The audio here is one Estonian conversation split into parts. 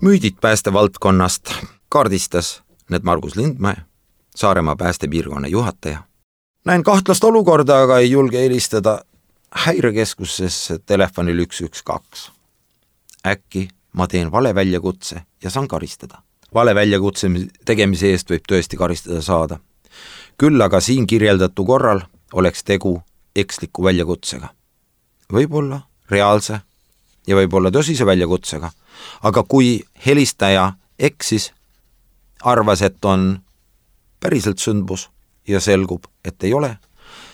Müüdid päästevaldkonnast kaardistas need Margus Lindmäe, Saaremaa päästepiirkonna juhataja. Näen kahtlast olukorda, aga ei julge helistada häirekeskusesse telefonil 112. Äkki ma teen vale väljakutse ja saan karistada. Vale väljakutse tegemise eest võib tõesti karistada saada. Küll aga siin kirjeldatu korral oleks tegu eksliku väljakutsega. Võib-olla reaalse ja võib-olla tõsise väljakutsega, aga kui helistaja eksis, arvas, et on päriselt sündmus ja selgub, et ei ole,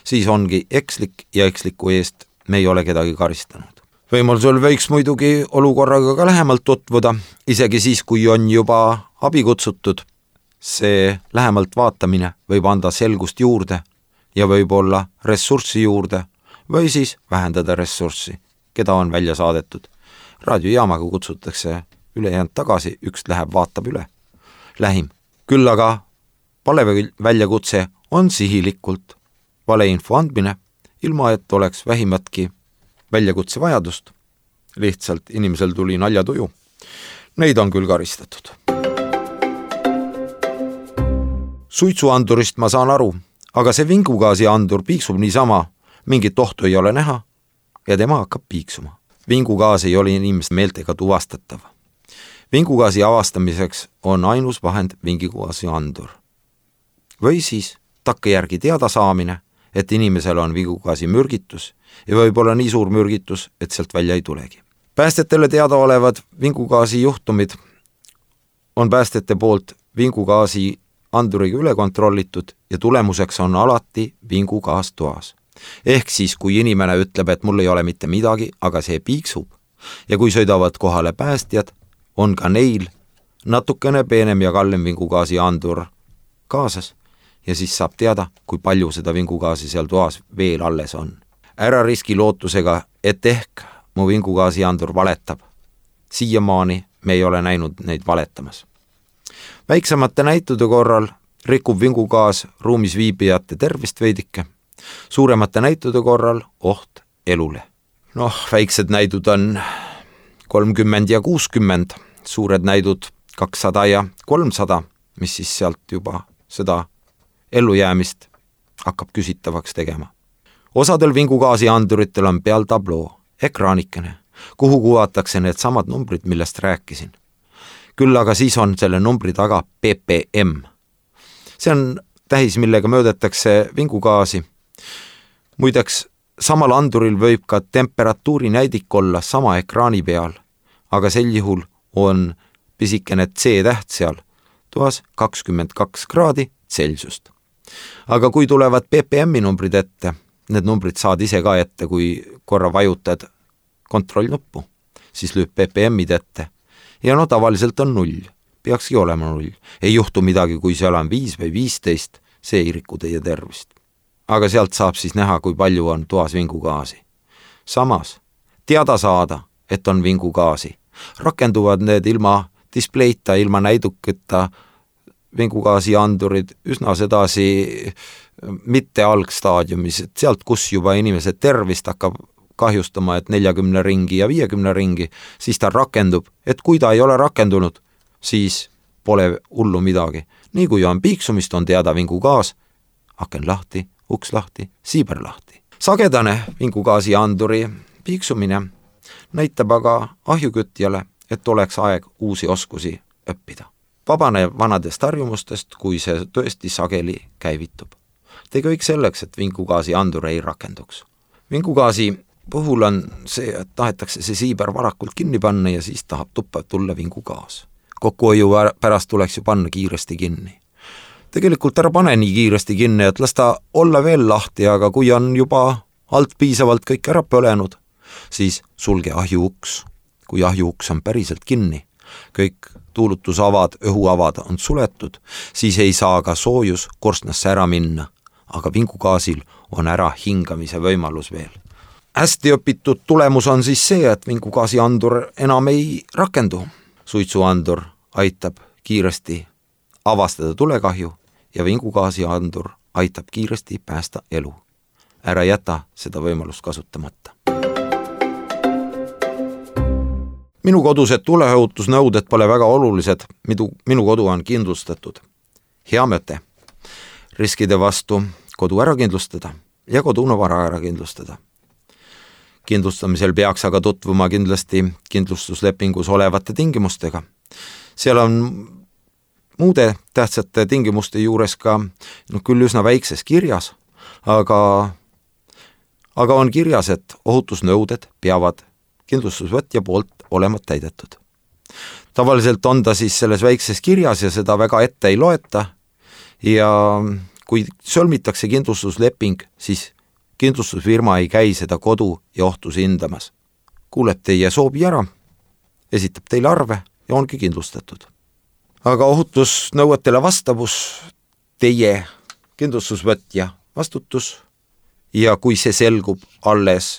siis ongi ekslik ja eksliku eest me ei ole kedagi karistanud. Võimalusel võiks muidugi olukorraga ka lähemalt tutvuda, isegi siis, kui on juba abi kutsutud. See lähemalt vaatamine võib anda selgust juurde ja võib olla ressurssi juurde või siis vähendada ressurssi, keda on välja saadetud. Raadiojaamaga kutsutakse ülejäänud tagasi, üks läheb vaatab üle. Lähim. Küll aga vale väljakutse on sihilikult valeinfo andmine, ilma et oleks vähimatki väljakutse vajadust. Lihtsalt inimesel tuli naljatuju. Neid on küll karistatud. Suitsuandurist ma saan aru, aga see vingugaasi andur piiksub niisama, mingit ohtu ei ole näha ja tema hakkab piiksuma. Vingugaas ei ole inimeste meeltega tuvastatav. Vingugaasi avastamiseks on ainus vahend vingugaasi andur. Või siis takkajärgi teada saamine, et inimesel on vingugaasi mürgitus ja võib-olla nii suur mürgitus, et sealt välja ei tulegi. Päästetele teada olevad vingugaasi juhtumid on päästete poolt vingugaasi anduriga üle kontrollitud ja tulemuseks on alati vingugaas toas. Ehk siis, kui inimene ütleb, et mul ei ole mitte midagi, aga see piiksub ja kui sõidavad kohale päästjad, on ka neil natukene peenem ja kallem vingugaasi andur kaasas ja siis saab teada, kui palju seda vingugaasi seal toas veel alles on. Ära riski lootusega, et ehk mu vingugaasi andur valetab. Siiamaani me ei ole näinud neid valetamas. Väiksemate näitude korral rikub vingugaas ruumis viibijate tervist veidike, suuremate näitude korral oht elule. Väiksed näidud on 30 ja 60, suured näidud 200 ja 300, mis siis sealt juba seda ellujäämist hakkab küsitavaks tegema. Osadel vingugaasi anduritel on peal tabloo, ekraanikene, kuhu kuvatakse need samad numbrid, millest rääkisin. Küll aga siis on selle numbri taga ppm. See on tähis, millega möödetakse vingugaasi. Muideks, samal anduril võib ka temperatuuri näidik olla sama ekraani peal, aga sel juhul on pisikene C-täht seal, toas 22 kraadi Celsiust. Aga kui tulevad ppm-i numbrid ette, need numbrid saad ise ka ette, kui korra vajutad kontrollnuppu, siis lööb ppm-id ette. Ja tavaliselt on 0, peakski olema 0. Ei juhtu midagi, kui seal on 5 või 15, see ei riku teie tervist. Aga sealt saab siis näha, kui palju on toas vingugaasi. Samas, teada saada, et on vingugaasi. Rakenduvad need ilma displeita, ilma näiduketa vingugaasi andurid üsna sedasi mitte algstaadiumis, et sealt, kus juba inimese tervist hakkab kahjustama, et 40 ringi ja 50 ringi, siis ta rakendub, et kui ta ei ole rakendunud, siis pole hullu midagi. Nii kui on piiksumist, on teada vingugaas, aken lahti, uks lahti, siiber lahti. Sagedane vingugaasi anduri piiksumine näitab aga ahjukütjale, et oleks aeg uusi oskusi õppida. Vabane vanadest harjumustest, kui see tõesti sageli käivitub. Tee kõik selleks, et vingugaasi andur ei rakenduks. Vingugaasi puhul on see, et tahetakse see siiber varakult kinni panna ja siis tahab tuppa tulla vingugaas. Kokkuhoiu pärast tuleks ju panna kiiresti kinni. Tegelikult ära pane nii kiiresti kinni, et las ta olla veel lahti, aga kui on juba alt piisavalt kõik ära põlenud, siis sulge ahjuuks. Kui ahjuuks on päriselt kinni, kõik tuulutusavad, õhuavad on suletud, siis ei saa ka soojus korstnasse ära minna, aga vingugaasil on ära hingamise võimalus veel. Hästi õpitud tulemus on siis see, et vingugaasi andur enam ei rakendu. Suitsuandur aitab kiiresti avastada tulekahju ja vingugaasi andur aitab kiiresti päästa elu. Ära jäta seda võimalust kasutamata. Minu kodused tuleohutusnõuded pole väga olulised, minu kodu on kindlustatud. Hea mõte. Riskide vastu kodu ära kindlustada ja kodune vara ära kindlustada. Kindlustamisel peaks aga tutvuma kindlasti kindlustuslepingus olevate tingimustega. Seal on muude tähtsate tingimuste juures ka küll üsna väikses kirjas, aga on kirjas, et ohutusnõuded peavad kindlustusvõtja poolt olema täidetud. Tavaliselt on ta siis selles väikses kirjas ja seda väga ette ei loeta ja kui sõlmitakse kindlustusleping, siis kindlustusfirma ei käi seda kodu ja ohtusi hindamas. Kuuleb teie soovi ära, esitab teile arve ja ongi kindlustatud. Aga ohutusnõuetele vastavus teie kindlustusvõtja vastutus ja kui see selgub alles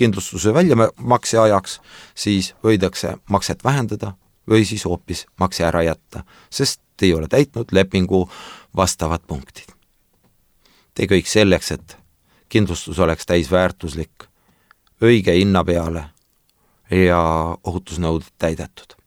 kindlustuse väljamakse ajaks, siis võidakse makset vähendada või siis hoopis makse ära jätta, sest ei ole täitnud lepingu vastavad punktid. Tee kõik selleks, et kindlustus oleks täisväärtuslik, õige hinna peale ja ohutusnõuded täidetud.